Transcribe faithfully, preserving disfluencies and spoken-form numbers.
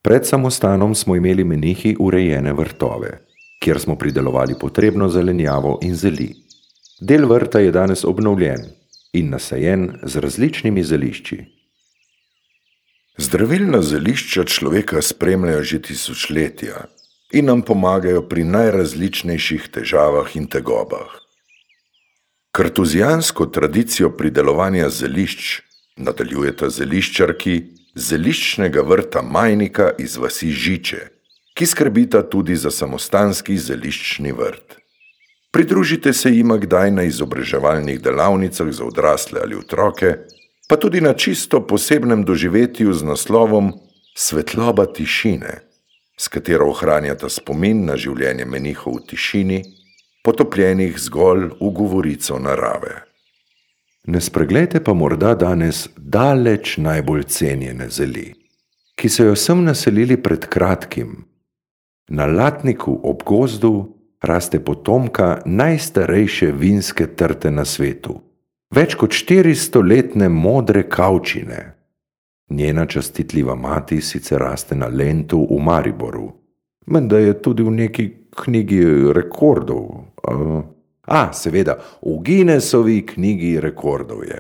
Pred samostanom smo imeli menihi urejene vrtove, kjer smo pridelovali potrebno zelenjavo in zeli. Del vrta je danes obnovljen in nasajen z različnimi zelišči. Zdravilna zelišča človeka spremljajo že tisočletja in nam pomagajo pri najrazličnejših težavah in tegobah. Kartuzijansko tradicijo pridelovanja zelišč nadaljujeta zeliščarki zeliščnega vrta Majnika iz vasi Žiče, ki skrbita tudi za samostanski zeliščni vrt. Pridružite se jima kdaj na izobraževalnih delavnicah za odrasle ali otroke, pa tudi na čisto posebnem doživetju z naslovom Svetloba tišine, s katero ohranjata spomin na življenje menihov v tišini, potopljenih zgolj v govorico narave. Ne spreglejte pa morda danes daleč najbolj cenjene zeli, ki so jo sem naselili pred kratkim. Na Latniku ob gozdu raste potomka najstarejše vinske trte na svetu, več kot štiristoletne modre kavčine. Njena častitljiva mati sicer raste na Lentu v Mariboru, menda je tudi v neki knjigi rekordov. A, seveda, v Guinnessovi knjigi rekordov je.